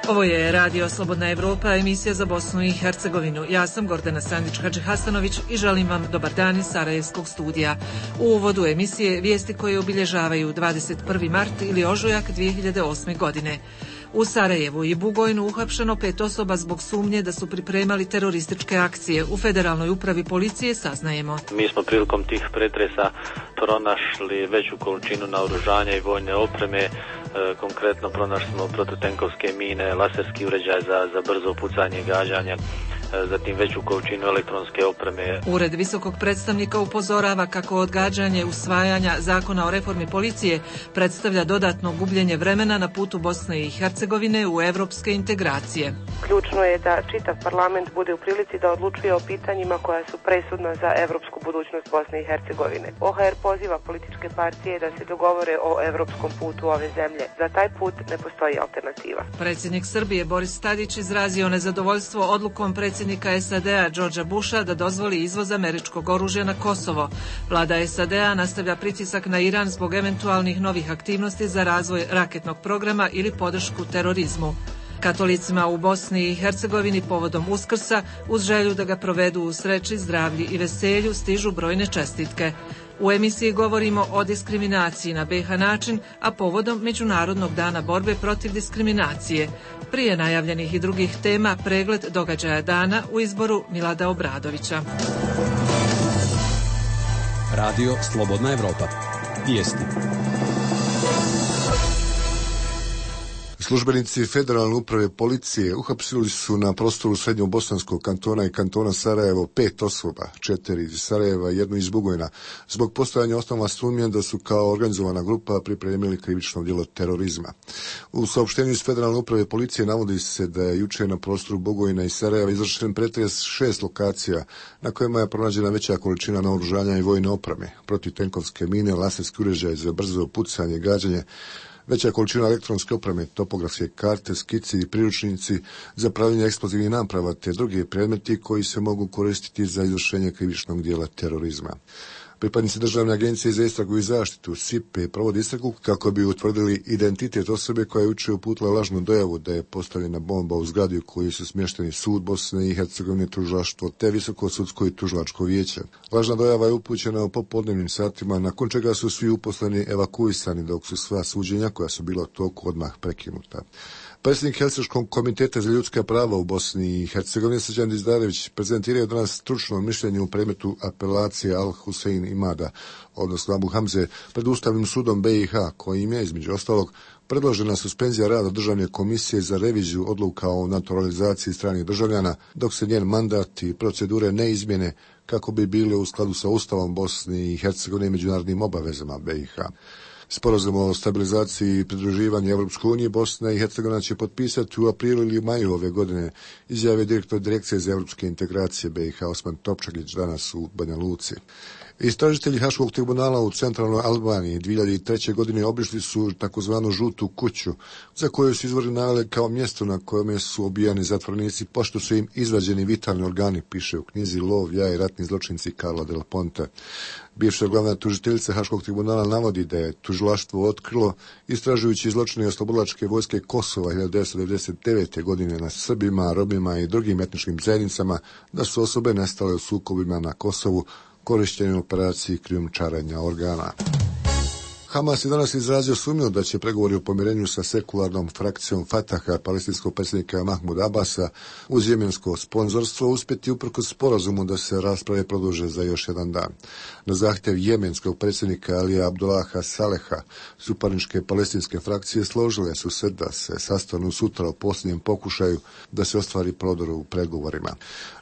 Ovo je Radio Slobodna Evropa, emisija za Bosnu i Hercegovinu. Ja sam Gordana Sandić-Hadžihasanović i želim vam dobar dan iz Sarajevskog studija. U uvodu emisije vijesti koje obilježavaju 21. mart ili ožujak 2008. godine. U Sarajevu i Bugojnu uhapšeno 5 osoba zbog sumnje da su pripremali terorističke akcije. U Federalnoj upravi policije saznajemo. Mi smo prilikom tih pretresa pronašli veću količinu naoružanja i vojne opreme. Konkretno pronašli smo protutenkovske mine, laserski uređaj za brzo pucanje i gađanje, zatim veću količinu elektronske opreme. Ured visokog predstavnika upozorava kako odgađanje usvajanja zakona o reformi policije predstavlja dodatno gubljenje vremena na putu Bosne i Hercegovine u evropske integracije. Ključno je da čitav parlament bude u prilici da odlučuje o pitanjima koja su presudna za evropsku budućnost Bosne i Hercegovine. OHR poziva političke partije da se dogovore o evropskom putu ove zemlje. Za taj put ne postoji alternativa. Predsjednik Srbije Boris Tadić izrazio nezadovoljstvo odlukom predsjednika SAD-a Georgea Busha da dozvoli izvoz američkog oružja na Kosovo. Vlada SAD-a nastavlja pritisak na Iran zbog eventualnih novih aktivnosti za razvoj raketnog programa ili podršku terorizmu. Katolicima u Bosni i Hercegovini povodom Uskrsa, uz želju da ga provedu u sreći, zdravlji i veselju, stižu brojne čestitke. U emisiji govorimo o diskriminaciji na BiH način, a povodom Međunarodnog dana borbe protiv diskriminacije. Prije najavljenih i drugih tema, pregled događaja dana u izboru Milada Obradovića. Radio Slobodna Evropa. Vijesti. Službenici Federalne uprave policije uhapsili su na prostoru Srednjobosanskog kantona i kantona Sarajevo 5 osoba, 4 iz Sarajeva i 1 iz Bugojna, zbog postojanja osnovne sumnje da su kao organizovana grupa pripremili krivično djelo terorizma. U saopštenju iz Federalne uprave policije navodi se da je jučer na prostoru Bugojna i Sarajeva izvršen pretres 6 lokacija na kojima je pronađena veća količina naoružanja i vojne opreme, protutenkovske mine, laserski uređaj za brzo pucanje i gađanje, veća količina elektronske opreme, topografske karte, skici i priručnici za pravljenje eksplozivnih naprava te drugi predmeti koji se mogu koristiti za izvršenje krivičnog djela terorizma. Pripadnici Državne agencije za istragu i zaštitu SIPE provodi istragu kako bi utvrdili identitet osobe koja je jučer uputila lažnu dojavu da je postavljena bomba u zgradi u kojoj su smješteni sud Bosne i Hercegovine, tužilaštvo te Visoko sudsko i tužilačko vijeće. Lažna dojava je upućena u popodnevnim satima, nakon čega su svi uposleni evakuisani, dok su sva suđenja koja su bila u toku odmah prekinuta. Predsjednik Helsinškog komiteta za ljudska prava u Bosni i Hercegovini Srđan Dizdarević prezentirao danas stručno mišljenje u predmetu apelacije Al Husein Imada, odnosno Abu Hamze, pred Ustavnim sudom BiH, kojim je, između ostalog, predložena suspenzija rada Državne komisije za reviziju odluka o naturalizaciji stranih državljana, dok se njen mandat i procedure ne izmjene kako bi bile u skladu sa Ustavom Bosne i Hercegovine i međunarodnim obavezama BiH. Sporazum o stabilizaciji i pridruživanju Evropskoj uniji Bosna i Hercegovina će potpisati u aprilu ili maju ove godine, izjavio direktor Direkcije za evropske integracije BiH Osman Topčagić danas u Banja Luci. Istražitelji Haškog tribunala u centralnoj Albaniji 2003. godine obišli su takozvanu žutu kuću, za koju su izvori naveli kao mjesto na kojem su obijani zatvorenici pošto su im izvađeni vitalni organi, piše u knjizi Lov, ja i ratni zločinci Karla Del Ponte. Bivša glavna tužiteljica Haškog tribunala navodi da je tužilaštvo otkrilo, istražujući zločine oslobodilačke vojske Kosova 1999. godine na Srbima, Romima i drugim etničkim zajednicama, da su osobe nestale u sukobima na Kosovu, korištenje operaciji krijumčarenja organa. Hamas je danas izrazio sumnju da će pregovori o pomirenju sa sekularnom frakcijom Fataha palestinskog predsjednika Mahmuda Abasa uz jemensko sponzorstvo uspjeti uprkos sporazumu da se rasprave produže za još jedan dan. Na zahtjev jemenskog predsjednika Alija Abdullaha Saleha, suparničke palestinske frakcije složile su se da se sastanu sutra u posljednjem pokušaju da se ostvari prodor u pregovorima.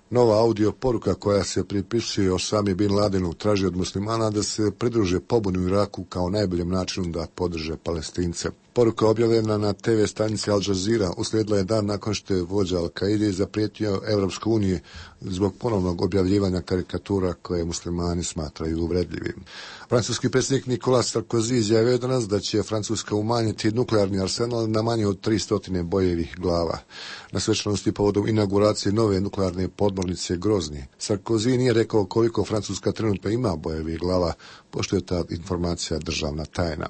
Nova audio poruka koja se pripisuje Osami bin Ladenu traži od muslimana da se pridruže pobuni u Iraku kao najboljem načinu da podrže Palestince. Poruka objavljena na TV stanici Al Jazeera uslijedila je dan nakon što je vođa Al-Kaide zaprijetio Evropskoj uniji zbog ponovnog objavljivanja karikatura koje muslimani smatraju uvredljivim. Francuski predsjednik Nicolas Sarkozy izjavio je danas da će Francuska umanjiti nuklearni arsenal na manje od 300 bojevih glava. Na svečanosti povodom inauguracije nove nuklearne podmornice Grozni, Sarkozy nije rekao koliko Francuska trenutno ima bojevih glava, pošto je ta informacija državna tajna.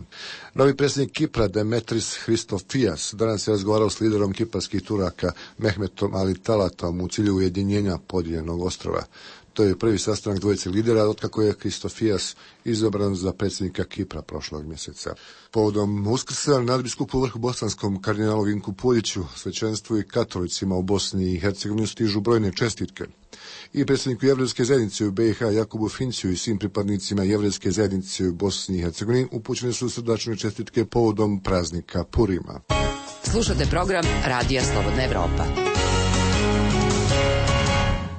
Novi predsjednik Kipra Demet Metris Hristofijas danas je razgovarao s liderom kiparskih Turaka Mehmetom Ali Talatom u cilju ujedinjenja podijeljenog ostrova. To je prvi sastanak dvojice lidera otkako je Hristofijas izabran za predsjednika Kipra prošlog mjeseca. Povodom Uskrsa nadbiskupu vrhu bosanskom kardinalu Vinku Puljiću, svećenstvu i katolicima u Bosni i Hercegovini stižu brojne čestitke. I predsjedniku Jevrejske zajednice u BiH Jakubu Finciju i svim pripadnicima Jevrejske zajednice u Bosni i Hercegovini upućene su srdačne čestitke povodom praznika Purima. Slušate program Radija Slobodna Evropa.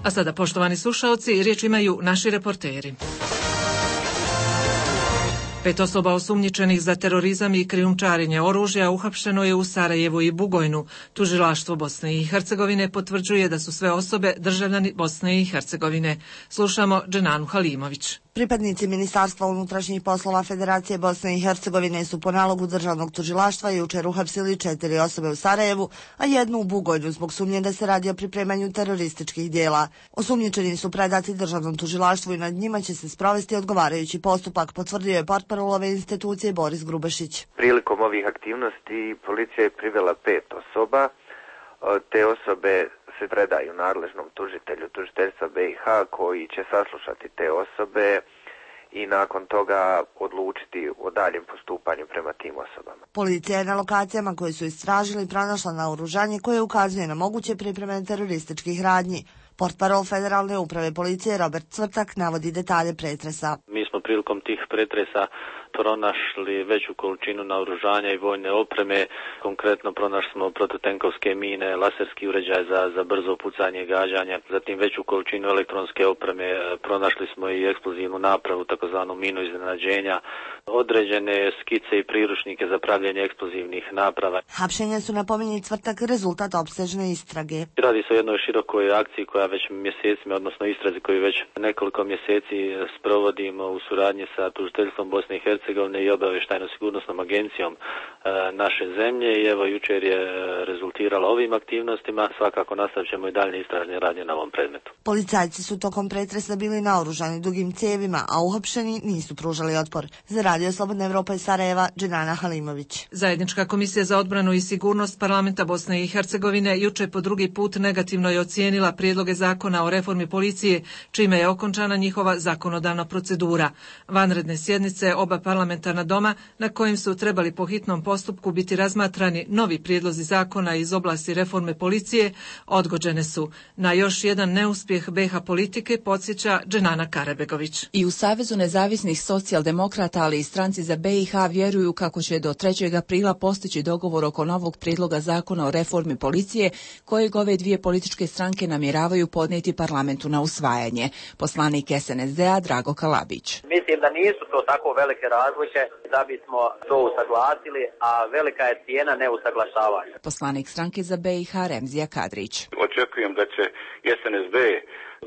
A sada, poštovani slušaoci, riječ imaju naši reporteri. 5 osoba osumnjičenih za terorizam i krijumčarenje oružja uhapšeno je u Sarajevu i Bugojnu. Tužilaštvo Bosne i Hercegovine potvrđuje da su sve osobe državljani Bosne i Hercegovine. Slušamo Dženanu Halimović. Pripadnici Ministarstva unutrašnjih poslova Federacije Bosne i Hercegovine su po nalogu državnog tužilaštva jučer uhapsili 4 osobe u Sarajevu, a 1 u Bugojnu zbog sumnje da se radi o pripremanju terorističkih dijela. Osumnjičeni su predati državnom tužilaštvu i nad njima će se sprovesti odgovarajući postupak, potvrdio je portparol ove institucije Boris Grubašić. Prilikom ovih aktivnosti policija je privela 5 osoba. Te osobe se predaju nadležnom tužitelju tužiteljstva BiH koji će saslušati te osobe i nakon toga odlučiti o daljem postupanju prema tim osobama. Policija je na lokacijama koje su istražili pronašla naoružanje koje ukazuje na moguće pripreme terorističkih radnji. Portparol Federalne uprave policije Robert Cvrtak navodi detalje pretresa. Mi smo prilikom tih pretresa pronašli veću količinu naoružanja i vojne opreme. Konkretno pronašli smo protutenkovske mine, laserski uređaj za brzo pucanje i gađanje, zatim veću količinu elektronske opreme. Pronašli smo i eksplozivnu napravu, takozvanu minu iznenađenja, određene skice i priručnike za pravljenje eksplozivnih naprava. Hapšenja su, napominje Cvrtak, rezultat opsežne istrage. Radi se o jednoj širokoj akciji koja već mjesecima, odnosno istrazi koju već nekoliko mjeseci sprovodimo u suradnji sa tužiteljstvom Bosne i Hercegovine i obavještajno-sigurnosnom agencijom naše zemlje i evo jučer je rezultiralo ovim aktivnostima. Svakako nastavit ćemo i daljnje istražne radnje na ovom predmetu. Policajci su tokom pretresa bili naoružani dugim cijevima, a uhapšeni nisu pružali otpor. Za Radio Slobodna Evropa iz Sarajeva, Dženana Halimović. Zajednička komisija za odbranu i sigurnost parlamenta Bosne i Hercegovine jučer po drugi put negativno je ocijenila prijedloge zakona o reformi policije, čime je okončana njihova zakonodavna procedura. Vanredne sjednice oba parlamentarna doma, na kojim su trebali po hitnom postupku biti razmatrani novi prijedlozi zakona iz oblasti reforme policije, odgođene su. Na još jedan neuspjeh BiH politike podsjeća Dženana Karabegović. I u Savezu nezavisnih socijaldemokrata, ali i stranci za BiH vjeruju kako će do 3. aprila postići dogovor oko novog prijedloga zakona o reformi policije, kojeg ove dvije političke stranke namjeravaju podnijeti parlamentu na usvajanje. Poslanik SNSD-a Drago Kalabić. Mislim da nisu to tako velike razlike da bismo to usaglasili, a velika je cijena neusaglašavanja. Poslanik stranke za BiH Remzija Kadrić. Očekujem da će SNSD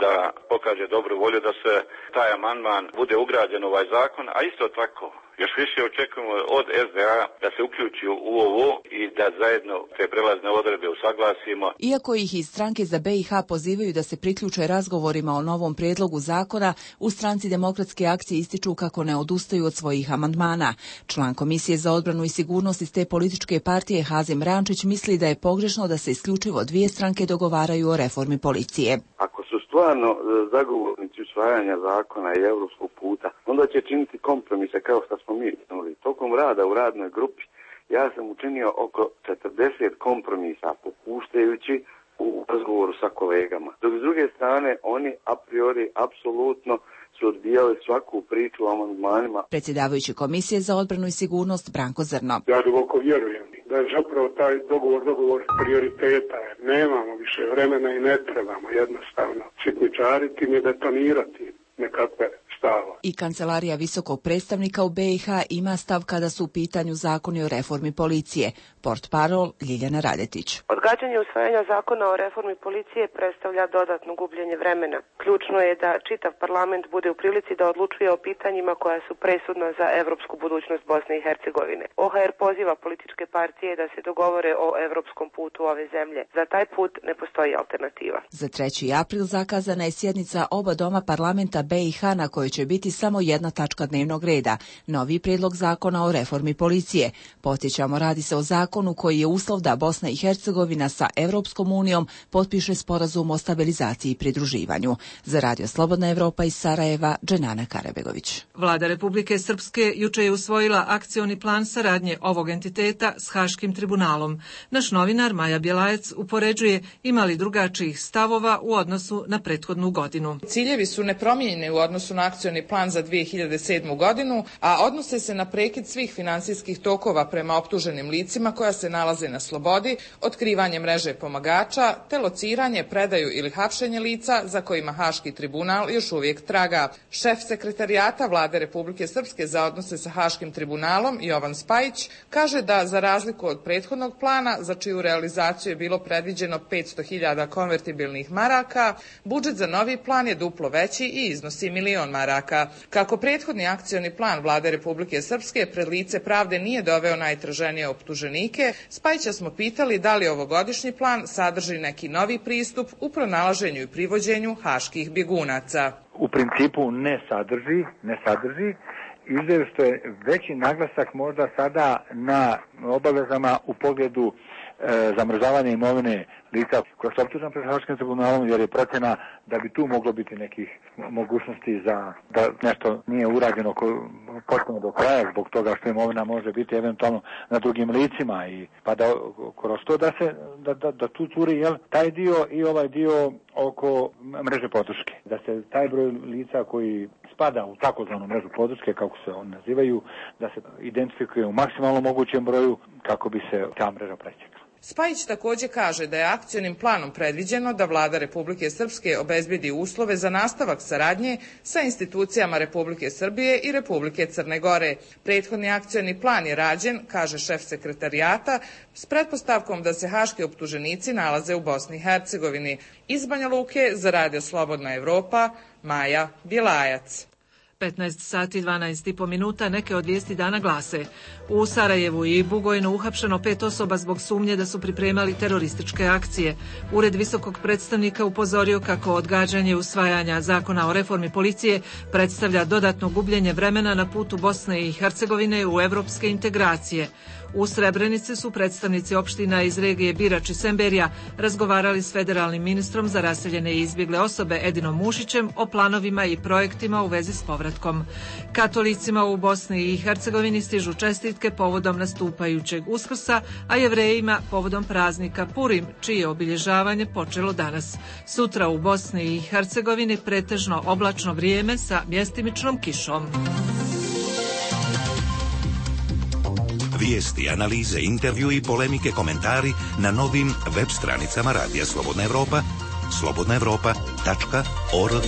da pokaže dobru volju da se taj amandman bude ugrađen u ovaj zakon, a isto tako još više očekujemo od SDA da se uključi u ovo i da zajedno te prelazne odredbe usaglasimo. Iako ih iz stranke za BiH pozivaju da se priključe razgovorima o novom prijedlogu zakona, u stranci Demokratske akcije ističu kako ne odustaju od svojih amandmana. Član Komisije za odbranu i sigurnost iz te političke partije Hazim Rančić misli da je pogrešno da se isključivo dvije stranke dogovaraju o reformi policije. Ako su stvarno zagovornici usvajanja zakona i europskog puta, onda će činiti kompromise kao što smo mi činili. Tokom rada u radnoj grupi ja sam učinio oko 40 kompromisa popuštajući u razgovoru sa kolegama. Dok s druge strane oni a priori apsolutno su odbijali svaku priču o amandmanima. Predsjedavajući Komisije za odbranu i sigurnost Branko Zrno. Ja duboko vjerujem da je zapravo taj dogovor prioriteta. Nemamo više vremena i ne trebamo jednostavno sitničariti i betonirati nekakve stava. I Kancelarija visokog predstavnika u BiH ima stav kada su u pitanju zakoni o reformi policije. Portparol Ljiljana Radetić. Odgađanje usvajanja zakona o reformi policije predstavlja dodatno gubljenje vremena. Ključno je da čitav parlament bude u prilici da odlučuje o pitanjima koja su presudna za evropsku budućnost Bosne i Hercegovine. OHR poziva političke partije da se dogovore o evropskom putu ove zemlje. Za taj put ne postoji alternativa. Za 3. april zakazana je sjednica oba doma parlamenta BiH na kojoj će biti samo jedna tačka dnevnog reda, novi prijedlog zakona o reformi policije. Podsjećamo, radi se o zakonu koji je uslov da Bosna i Hercegovina sa Europskom unijom potpiše sporazum o stabilizaciji i pridruživanju. Za Radio Slobodna Evropa iz Sarajeva, Dženana Karabegović. Vlada Republike Srpske juče je usvojila akcioni plan saradnje ovog entiteta s Haškim tribunalom. Naš novinar Maja Bjelajac upoređuje ima li drugačijih stavova u odnosu na prethodnu godinu. Ciljevi su nepromijenjeni u odnosu na akcioni plan za 2007. godinu, a odnose se na prekid svih finansijskih tokova prema optuženim licima koja se nalaze na slobodi, otkrivanje mreže pomagača, te lociranje, predaju ili hapšenje lica za kojima Haški tribunal još uvijek traga. Šef sekretarijata Vlade Republike Srpske za odnose sa Haškim tribunalom, Jovan Spajić, kaže da za razliku od prethodnog plana, za čiju realizaciju je bilo predviđeno 500.000 konvertibilnih maraka, budžet za novi plan je duplo veći i iznosi 1.000.000 maraka. Kako prethodni akcioni plan Vlade Republike Srpske pred lice pravde nije doveo najtraženije optuženike, Spajića smo pitali da li ovogodišnji plan sadrži neki novi pristup u pronalaženju i privođenju haških bjegunaca. U principu ne sadrži, izgleda što je veći naglasak možda sada na obavezama u pogledu zamrzavanja imovine lica koja su optužena pred Haškim tribunalom, jer je procjena da bi tu moglo biti nekih mogućnosti za da nešto nije urađeno potpuno do kraja zbog toga što imovina može biti eventualno na drugim licima i pa da kroz to da tu curi taj dio i ovaj dio oko mreže podrške. Da se taj broj lica koji spada u takozvanu mrežu podrške, kako se oni nazivaju, da se identifikuje u maksimalno mogućem broju kako bi se ta mreža presjekla. Spajić također kaže da je akcionim planom predviđeno da Vlada Republike Srpske obezbedi uslove za nastavak saradnje sa institucijama Republike Srbije i Republike Crne Gore. Prethodni akcioni plan je rađen, kaže šef sekretarijata, s pretpostavkom da se haški optuženici nalaze u Bosni i Hercegovini. Iz Banja Luke za Radio Slobodna Evropa, Maja Bjelajac. 15 sati 12,5 minuta, neke od vijesti dana glase. U Sarajevu i Bugojnu uhapšeno 5 osoba zbog sumnje da su pripremali terorističke akcije. Ured visokog predstavnika upozorio kako odgađanje usvajanja zakona o reformi policije predstavlja dodatno gubljenje vremena na putu Bosne i Hercegovine u evropske integracije. U Srebrenici su predstavnici opština iz regije Birač i Semberija razgovarali s federalnim ministrom za raseljene i izbjegle osobe Edinom Mušićem o planovima i projektima u vezi s povratkom. Katolicima u Bosni i Hercegovini stižu čestitke povodom nastupajućeg Uskrsa, a Jevrejima povodom praznika Purim, čije obilježavanje počelo danas. Sutra u Bosni i Hercegovini pretežno oblačno vrijeme sa mjestimičnom kišom. Vijesti, analize, intervju i polemike, komentari na novim web stranicama Radija Slobodna Evropa, slobodnaevropa.org.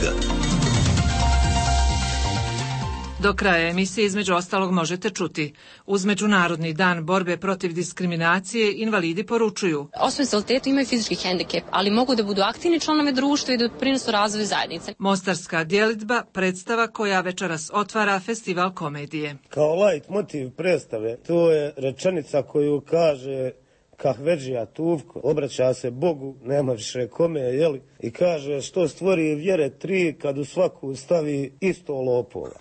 Do kraja emisije između ostalog možete čuti. Uz Međunarodni dan borbe protiv diskriminacije invalidi poručuju: osobe s invaliditetom imaju fizički hendikep, ali mogu da budu aktivni članovi društva i da doprinesu razvoju zajednice. Mostarska djelidba, predstava koja večeras otvara festival komedije. Kao lajt motiv predstave, to je rečenica koju kaže Kahvedžija Tuvko, obraća se Bogu, nema više kome, jeli, i kaže što stvori vjere tri kad u svaku stavi isto lopova.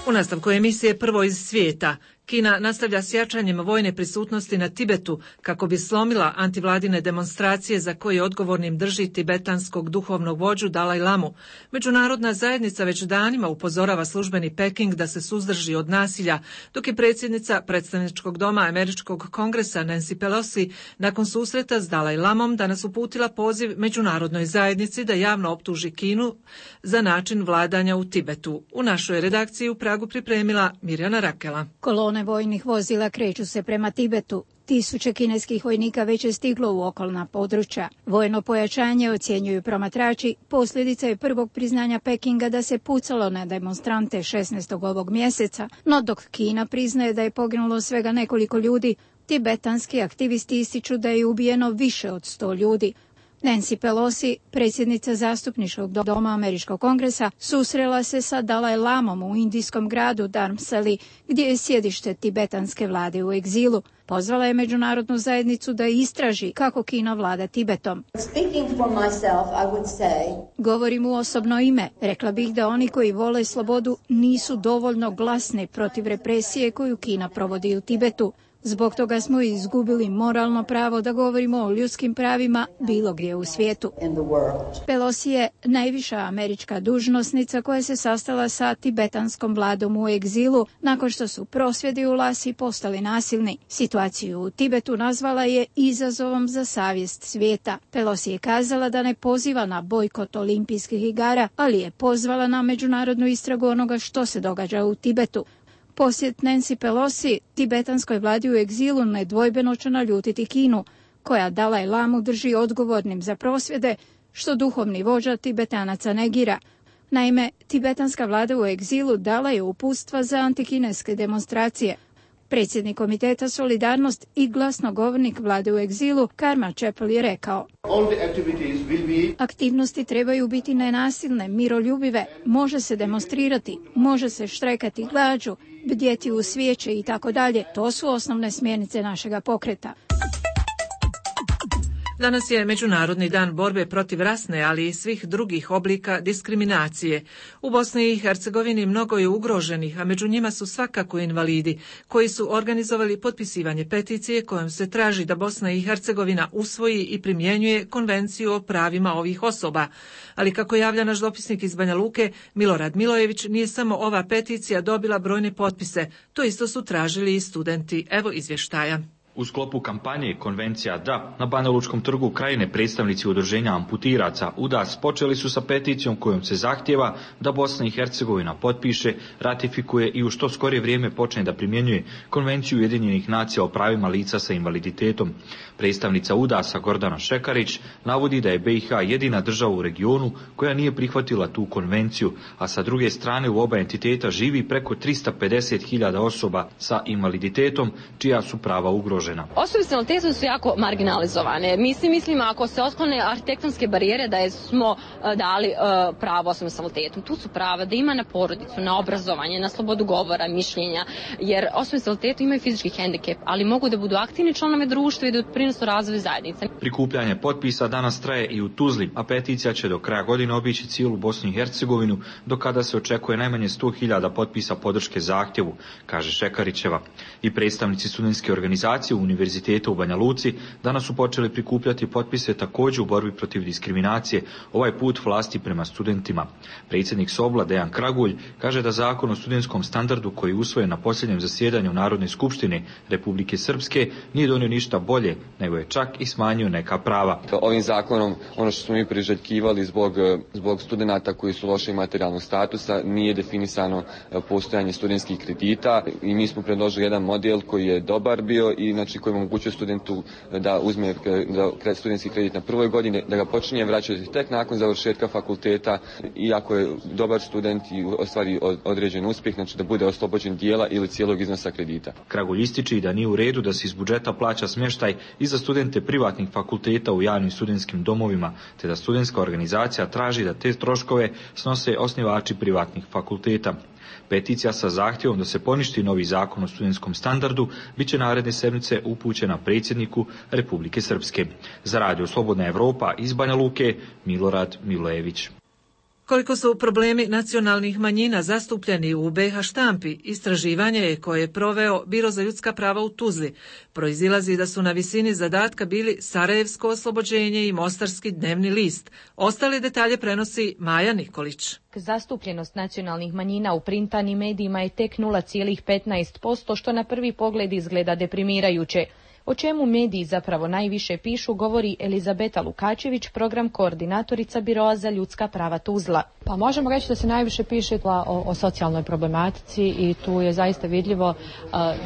U nastavku emisije Prvo iz svijeta. Kina nastavlja s jačanjem vojne prisutnosti na Tibetu kako bi slomila antivladine demonstracije za koje odgovornim drži tibetanskog duhovnog vođu Dalaj Lamu. Međunarodna zajednica već danima upozorava službeni Peking da se suzdrži od nasilja, dok je predsjednica predstavničkog doma Američkog kongresa Nancy Pelosi nakon susreta s Dalaj Lamom danas uputila poziv međunarodnoj zajednici da javno optuži Kinu za način vladanja u Tibetu. U našoj redakciji u Pragu pripremila Mirjana Rakela. Kolone vojnih vozila kreću se prema Tibetu. Tisuće kineskih vojnika već je stiglo u okolna područja. Vojno pojačanje, ocjenjuju promatrači, posljedica je prvog priznanja Pekinga da se pucalo na demonstrante 16. ovog mjeseca, no dok Kina priznaje da je poginulo svega nekoliko ljudi, tibetanski aktivisti ističu da je ubijeno više od 100 ljudi. Nancy Pelosi, predsjednica zastupničkog doma Američkog kongresa, susrela se sa Dalaj Lamom u indijskom gradu Dharamsali, gdje je sjedište tibetanske vlade u egzilu. Pozvala je međunarodnu zajednicu da istraži kako Kina vlada Tibetom. Govorim u osobno ime. Rekla bih da oni koji vole slobodu nisu dovoljno glasni protiv represije koju Kina provodi u Tibetu. Zbog toga smo izgubili moralno pravo da govorimo o ljudskim pravima bilo gdje u svijetu. Pelosi je najviša američka dužnosnica koja se sastala sa tibetanskom vladom u egzilu nakon što su prosvjedi u Lasi postali nasilni. Situaciju u Tibetu nazvala je izazovom za savjest svijeta. Pelosi je kazala da ne poziva na bojkot olimpijskih igara, ali je pozvala na međunarodnu istragu onoga što se događa u Tibetu. Posjet Nancy Pelosi tibetanskoj vladi u egzilu nedvojbeno će naljutiti Kinu, koja Dalaj Lamu drži odgovornim za prosvjede, što duhovni vođa Tibetanaca negira. Naime, tibetanska vlada u egzilu dala je uputstva za antikineske demonstracije. Predsjednik komiteta Solidarnost i glasnogovornik vlade u egzilu Karma Chappell je rekao: aktivnosti trebaju biti nenasilne, miroljubive, može se demonstrirati, može se štrajkati glađu, bdjeti u svijeće i tako dalje. To su osnovne smjernice našega pokreta. Danas je Međunarodni dan borbe protiv rasne, ali i svih drugih oblika diskriminacije. U Bosni i Hercegovini mnogo je ugroženih, a među njima su svakako invalidi, koji su organizovali potpisivanje peticije kojom se traži da Bosna i Hercegovina usvoji i primjenjuje Konvenciju o pravima ovih osoba. Ali kako javlja naš dopisnik iz Banja Luke, Milorad Milojević, nije samo ova peticija dobila brojne potpise, to isto su tražili i studenti. Evo izvještaja. U sklopu kampanje Konvencija da, na Banja Lučkom trgu Krajine predstavnici udruženja amputiraca UDAS počeli su sa peticijom kojom se zahtjeva da Bosna i Hercegovina potpiše, ratifikuje i u što skorije vrijeme počne da primjenjuje Konvenciju Ujedinjenih nacija o pravima lica sa invaliditetom. Predstavnica UDAS-a Gordana Šekarić navodi da je BiH jedina država u regionu koja nije prihvatila tu konvenciju, a sa druge strane u oba entiteta živi preko 350.000 osoba sa invaliditetom čija su prava ugrožena. Osobe s invaliditetom su jako marginalizovane. Mislim, ako se otklone arhitektonske barijere da smo dali pravo osobama s invaliditetom. Tu su prava da ima na porodicu, na obrazovanje, na slobodu govora, mišljenja, jer osobe s invaliditetom imaju fizički hendikep, ali mogu da budu aktivni članovi društva i da doprinose razvoju zajednice. Prikupljanje potpisa danas traje i u Tuzli, a peticija će do kraja godine obići cijelu Bosnu i Hercegovinu, do kada se očekuje najmanje 100.000 potpisa podrške zahtjevu, kaže Šekarićeva. I predstavnici studentske organizacije Univerziteta u Banja Luci danas su počeli prikupljati potpise također u borbi protiv diskriminacije, ovaj put vlasti prema studentima. Predsjednik Sobla Dejan Kragulj kaže da zakon o studentskom standardu koji je usvojen na posljednjem zasjedanju Narodne skupštine Republike Srpske nije donio ništa bolje, nego je čak i smanjio neka prava. Ovim zakonom, ono što smo mi priželjkivali zbog studenata koji su lošeg materijalnog statusa, nije definisano postojanje studentskih kredita i mi smo predložili jedan model koji je dobar bio i znači koji omogućuje studentu da uzme studentski kredit na prvoj godini, da ga počinje vraćati tek nakon završetka fakulteta i ako je dobar student i ostvari određen uspjeh, znači da bude oslobođen dijela ili cijelog iznosa kredita. Kragulj ističe da nije u redu da se iz budžeta plaća smještaj i za studente privatnih fakulteta u javnim studentskim domovima, te da studentska organizacija traži da te troškove snose osnivači privatnih fakulteta. Peticija sa zahtjevom da se poništi novi zakon o studentskom standardu bit će naredne sedmice upućena predsjedniku Republike Srpske. Za Radio Slobodna Evropa iz Banja Luke, Milorad Milojević. Koliko su problemi nacionalnih manjina zastupljeni u BiH štampi, istraživanje je koje je proveo Biro za ljudska prava u Tuzli. Proizilazi da su na visini zadatka bili Sarajevsko oslobođenje i Mostarski dnevni list. Ostale detalje prenosi Maja Nikolić. Zastupljenost nacionalnih manjina u printanim medijima je tek 0,15%, što na prvi pogled izgleda deprimirajuće. O čemu mediji zapravo najviše pišu govori Elizabeta Lukačević, program koordinatorica Biroa za ljudska prava Tuzla. Pa možemo reći da se najviše piše o socijalnoj problematici i tu je zaista vidljivo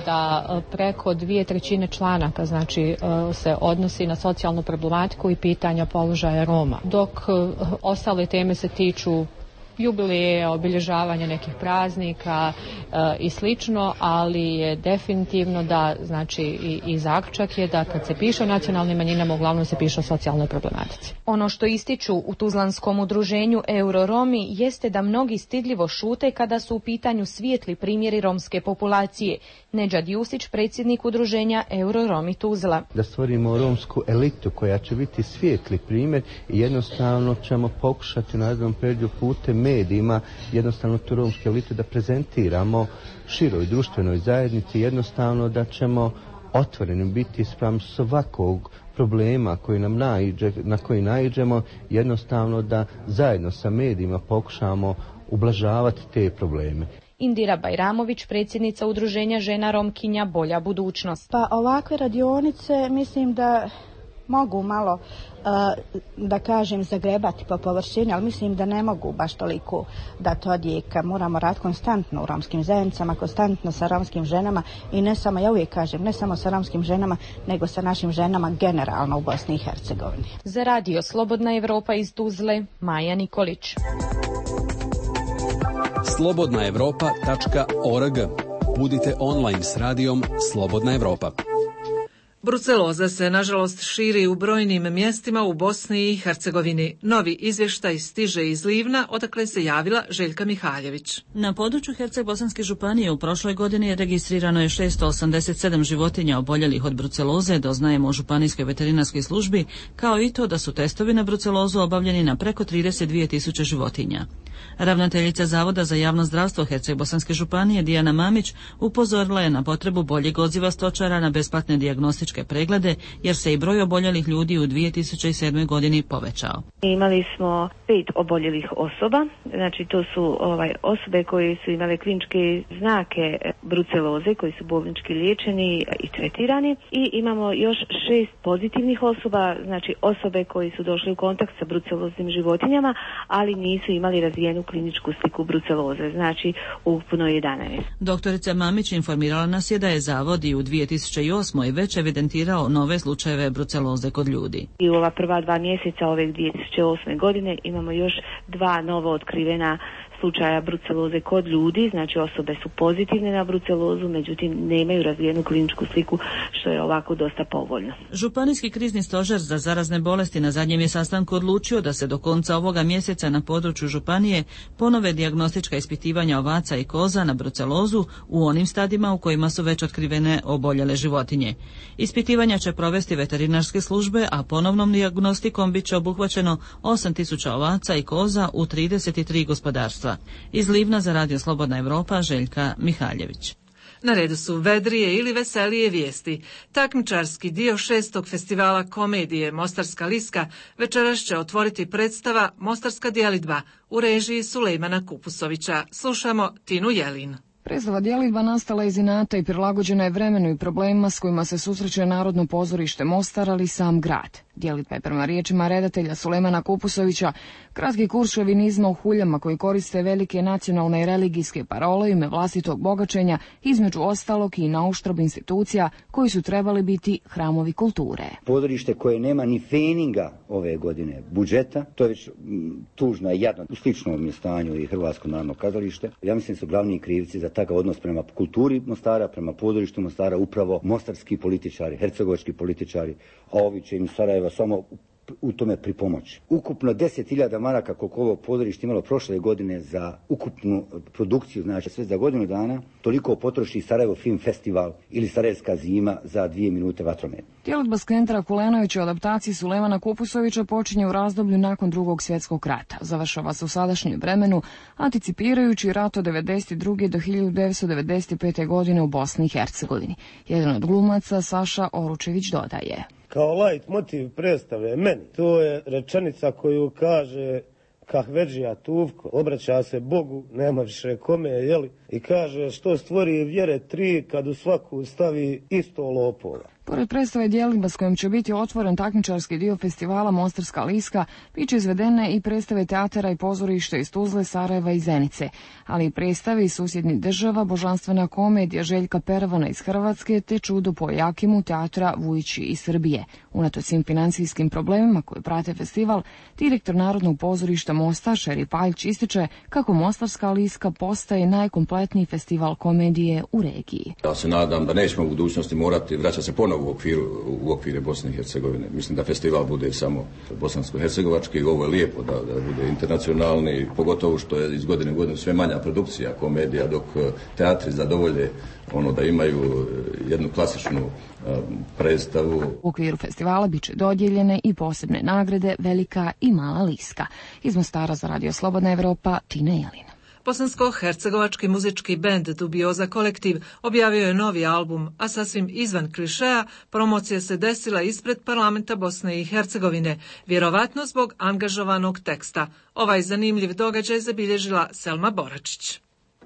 da preko 2/3 članaka znači se odnosi na socijalnu problematiku i pitanja položaja Roma. Dok ostale teme se tiču jubilije, obilježavanje nekih praznika i slično, ali je definitivno da, znači i zaključak je da kad se piše o nacionalnim manjinama uglavnom se piše o socijalnoj problematici. Ono što ističu u tuzlanskom udruženju Euroromi jeste da mnogi stidljivo šute kada su u pitanju svijetli primjeri romske populacije. Nedžad Jusić, predsjednik udruženja Euroromi Tuzla. Da stvorimo romsku elitu koja će biti svijetli primjer i jednostavno ćemo pokušati na jednom periodu putem medijima jednostavno tu romsku elitu da prezentiramo široj društvenoj zajednici, jednostavno da ćemo otvoreni biti spram svakog problema na koji naiđemo, jednostavno da zajedno sa medijima pokušamo ublažavati te probleme. Indira Bajramović, predsjednica udruženja žena Romkinja Bolja budućnost. Pa ovakve radionice mislim da mogu malo, da kažem, zagrebati po površini, ali mislim da ne mogu baš toliko dati odjeka. Moramo raditi konstantno u romskim zajednicama, konstantno sa romskim ženama i ne samo, ja uvijek kažem, ne samo sa romskim ženama, nego sa našim ženama generalno u Bosni i Hercegovini. Za radio Slobodna Evropa iz Tuzle, Maja Nikolić. slobodnaevropa.org. Budite online s radijom Slobodna Evropa. Bruceloza se, nažalost, širi u brojnim mjestima u Bosni i Hercegovini. Novi izvještaj stiže iz Livna, odakle se javila Željka Mihaljević. Na području Herceg-Bosanske županije u prošloj godini registrirano je 687 životinja oboljelih od bruceloze, doznajemo u županijskoj veterinarskoj službi, kao i to da su testovi na brucelozu obavljeni na preko 32.000 životinja. Ravnateljica Zavoda za javno zdravstvo Herceg-Bosanske županije Dijana Mamić upozorila je na potrebu boljeg odziva stočara na besplatne dijagnostičke preglede, jer se i broj oboljelih ljudi u 2007. godini povećao. Imali smo 5 oboljelih osoba, znači to su osobe koje su imale kliničke znake bruceloze, koji su bolnički liječeni i tretirani, i imamo još 6 pozitivnih osoba, znači osobe koji su došli u kontakt sa bruceloznim životinjama, ali nisu imali razvijenu kliničku sliku bruceloze, znači ukupno 11. Doktorica Mamić informirala nas je da je Zavod i u 2008. već evidentirao nove slučajeve bruceloze kod ljudi. I u ova prva 2 mjeseca ove 2008. godine imamo još 2 novo otkrivena slučaja bruceloze kod ljudi, znači osobe su pozitivne na brucelozu, međutim nemaju razvijenu kliničku sliku, što je ovako dosta povoljno. Županijski krizni stožer za zarazne bolesti na zadnjem je sastanku odlučio da se do konca ovoga mjeseca na području županije ponove dijagnostička ispitivanja ovaca i koza na brucelozu u onim stadima u kojima su već otkrivene oboljele životinje. Ispitivanja će provesti veterinarske službe, a ponovnom dijagnostikom bit će obuhvaćeno 8.000 ovaca i koza u 33 gospodarstva. Iz Livna za radio Slobodna Evropa, Željka Mihaljević. Na redu su vedrije ili veselije vijesti. Takmičarski dio 6. festivala komedije Mostarska liska večeras će otvoriti predstava Mostarska djelidba u režiji Sulejmana Kupusovića. Slušamo Tinu Jelin. Predstava djelidba nastala iz inata i prilagođena je vremenu i problemima s kojima se susreće Narodno pozorište Mostar, ali i sam grad. Djelidba je prema riječima redatelja Sulejmana Kupusovića kratki kurs šovinizma u huljama koji koriste velike nacionalne i religijske parole ime vlastitog bogaćenja, između ostalog i nauštrb institucija koji su trebali biti hramovi kulture. Pozorište koje nema ni feninga ove godine budžeta, to je već tužno i jadno. U sličnom je stanju i Hrvatsko narodno kazalište. Ja mislim da su glavni krivci za takav odnos prema kulturi Mostara, prema pozorištu Mostara upravo mostarski političari, hercegovački političari, a ovi će im Sarajeva samo u tome pripomoći. Ukupno 10.000 maraka koliko ovo pozorište imalo prošle godine za ukupnu produkciju, znači sve za godinu dana, toliko potroši Sarajevo Film Festival ili Sarajevska zima za 2 minute vatrometa. Djelidba Skentra Kulenovića u adaptaciji Sulejmana Kupusovića počinje u razdoblju nakon Drugog svjetskog rata. Završava se u sadašnjem vremenu, anticipirajući rat od 1992. do 1995. godine u Bosni i Hercegovini. Jedan od glumaca, Saša Oručević, dodaje: kao light motiv predstave meni, to je rečenica koju kaže Kahvedžija Tuvko, obraća se Bogu, nema više kome, jeli? i kaže što stvori vjere 3 kad u svaku stavi isto lopova. Pored predstave Djelidba s kojom će biti otvoren takmičarski dio festivala Mostarska liska, bit će izvedene i predstave teatara i pozorišta iz Tuzle, Sarajeva i Zenice, ali i predstave iz susjednih država, božanstvena komedija Željka Peravana iz Hrvatske te Čudo po Jakimu teatra Vujići iz Srbije. Unatoč svim financijskim problemima koje prate festival, direktor Narodnog pozorišta Mostar Šeri Paljć ističe kako Mostarska liska postaje najkompletniji festival komedije u regiji. Ja se nadam da nećemo u budućnosti morati vraćati se ponovo u okvire Bosne i Hercegovine. Mislim da festival bude samo bosansko-hercegovački. Ovo je lijepo da bude internacionalni, pogotovo što je iz godine u godinu sve manja produkcija komedija, dok teatri zadovolje ono da imaju jednu klasičnu predstavu. U okviru festivala bit će dodijeljene i posebne nagrade Velika i Mala liska. Iz Mostara za Radio Slobodna Evropa, Tina Jelina. Bosansko-hercegovački muzički bend Dubioza kolektiv objavio je novi album, a sasvim izvan klišeja promocija se desila ispred parlamenta Bosne i Hercegovine, vjerovatno zbog angažovanog teksta. Ovaj zanimljiv događaj zabilježila Selma Boračić.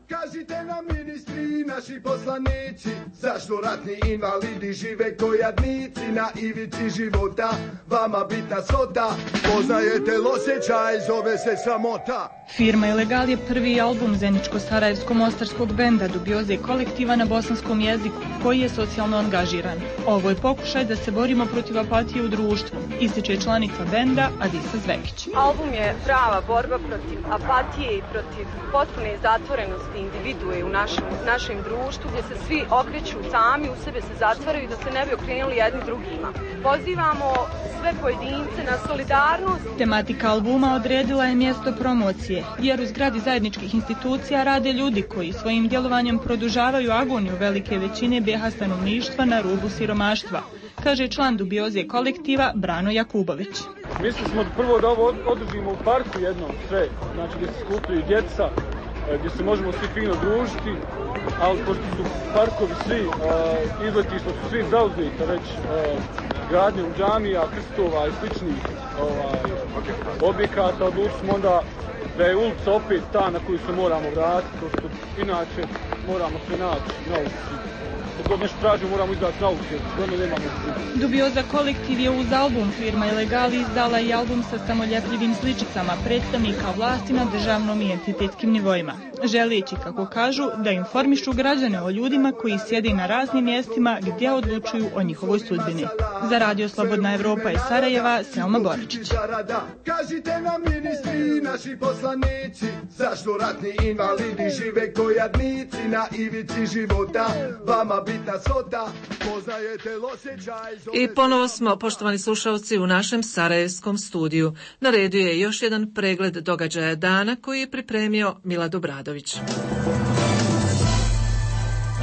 Kažite nam ministri, naši poslanici, zašto ratni invalidi žive ko jadnici na ivici života, vama bitna svota, poznajete osjećaj, zove se sramota. Firma Ilegal je prvi album zeničko-sarajevsko-mostarskog benda Dubioze kolektiva na bosanskom jeziku, koji je socijalno angažiran. Ovo je pokušaj da se borimo protiv apatije u društvu, ističe članica benda Adisa Zvekić. Album je prava borba protiv apatije i protiv potpune zatvorenosti individue u našem društvu, gdje se svi okreću sami, u sebe se zatvaraju da se ne bi okrenuli jedni drugima. Pozivamo sve pojedince na solidarnost. Tematika albuma odredila je mjesto promocije, jer u zgradi zajedničkih institucija rade ljudi koji svojim djelovanjem produžavaju agoniju velike većine BiH stanovništva na rubu siromaštva, kaže član Dubioze kolektiva Brano Jakubović. Mislili smo prvo da ovo održimo u parku jednom sve, znači gdje se skupljaju djeca, gdje se možemo svi fino družiti, ali pošto su parkovi svi, izletišta su svi zauzeti, već gradnjom džamija, krstova i sličnih objekata, odlučili smo onda da je ulica opet ta na koju se moramo vratiti, pošto inače moramo se naći na ulici. Kad god nešto tražimo moramo izaći na ulici, jer nemamo ulici. Dubioza kolektiv je uz album firma Ilegali izdala i album sa samoljepljivim sličicama predstavnika vlasti na državnom i entitetskim nivoima, želeći, kako kažu, da informišu građane o ljudima koji sjede na raznim mjestima gdje odlučuju o njihovoj sudbini. Za Radio Slobodna Evropa iz Sarajeva, Selma Boračić. Kažite nam ministri, naši poslanici, zašto ratni invalidi žive ko jadnici na ivici života, vama bitna svota, poznajete osjećaj. I ponovo smo, poštovani slušalci, u našem sarajevskom studiju. Na redu je još jedan pregled događaja dana koji je pripremio Milad Obradović.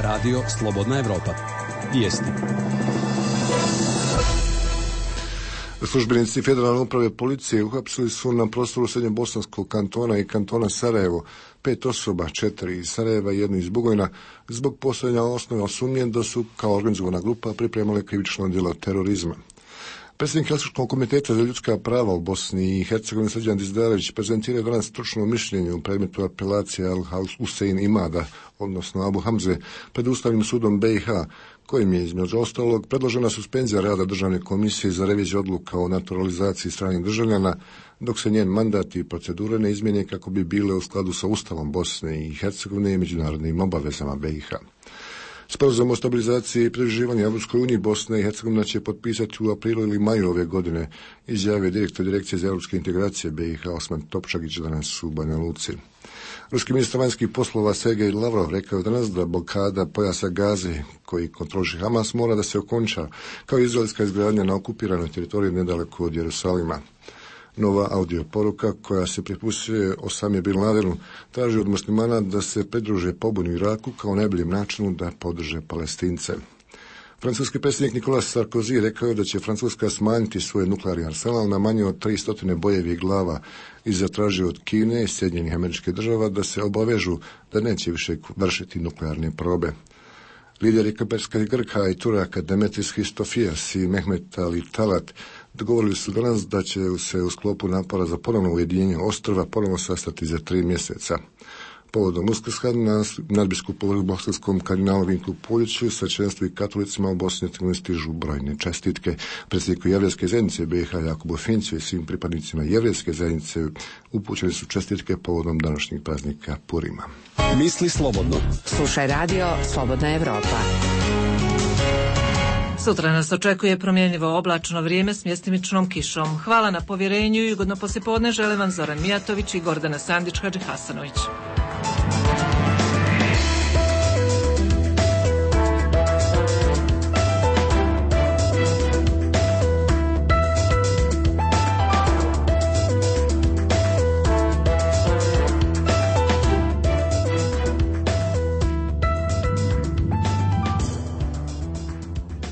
Radio Slobodna Evropa. Vijesti. Službenici Federalne uprave policije uhapsili su na prostoru Srednjobosanskog kantona i kantona Sarajevo 5 osoba, 4 iz Sarajeva i 1 iz Bugojna, zbog postojanja osnove sumnje da su kao organizovana grupa pripremale krivično djelo terorizma. Predsjednik Helsinškog komiteta za ljudska prava u Bosni i Hercegovini Srđan Dizdarević prezentirao danas stručno mišljenje u predmetu apelacije Al-Husein Imada, odnosno Abu Hamze, pred Ustavnim sudom BiH, kojim je između ostalog predložena suspenzija rada Državne komisije za reviziju odluka o naturalizaciji stranih državljana, dok se njen mandat i procedure ne izmijene kako bi bile u skladu sa Ustavom Bosne i Hercegovine i međunarodnim obavezama BiH. Sporazum o stabilizaciji i pridruživanju Evropskoj uniji Bosna i Hercegovina će potpisati u aprilu ili maju ove godine, izjavio direktor Direkcije za europske integracije BiH Osman Topčagić danas u Banja Luci. Ruski ministar vanjskih poslova Sergej Lavrov rekao je danas da blokada pojasa Gaze koji kontroliše Hamas mora da se okonča, kao i izraelska izgradnja na okupiranoj teritoriji nedaleko od Jerusalima. Nova audio poruka koja se pripustuje Osami Bin Ladenu traži od muslimana da se pridruže pobuni u Iraku kao najboljem načinu da podrže Palestince. Francuski predsjednik Nicolas Sarkozy rekao je da će Francuska smanjiti svoj nuklearni arsenal na manje od 300 bojevih glava i zatražio od Kine i Sjedinjenih Američkih Država da se obavežu da neće više vršiti nuklearne probe. Lideri Kaperskih Grka i Turaka Demetris Christofias i Mehmet Ali Talat dogovorili su danas da će se u sklopu napora za ponovno ujedinjenje ostrva ponovno sastati za 3 mjeseca. Povodom Uskrsa na nadbiskupu bosanskom kardinalu Vinku Puljiću, svećenstvu i katolicima u Bosni i Hercegovini stižu brojne čestitke. Predsjedniku Jevrejske zajednice BiH Jakubu Finciju i svim pripadnicima Jevrejske zajednice upućene su čestitke povodom današnjeg praznika Purima. Misli slobodno. Slušaj radio Slobodna Evropa. Sutra nas očekuje promjenjivo oblačno vrijeme s mjestimičnom kišom. Hvala na povjerenju i ugodno poslijepodne žele vam Zoran Mijatović i Gordana Sandić-Hadžihasanović.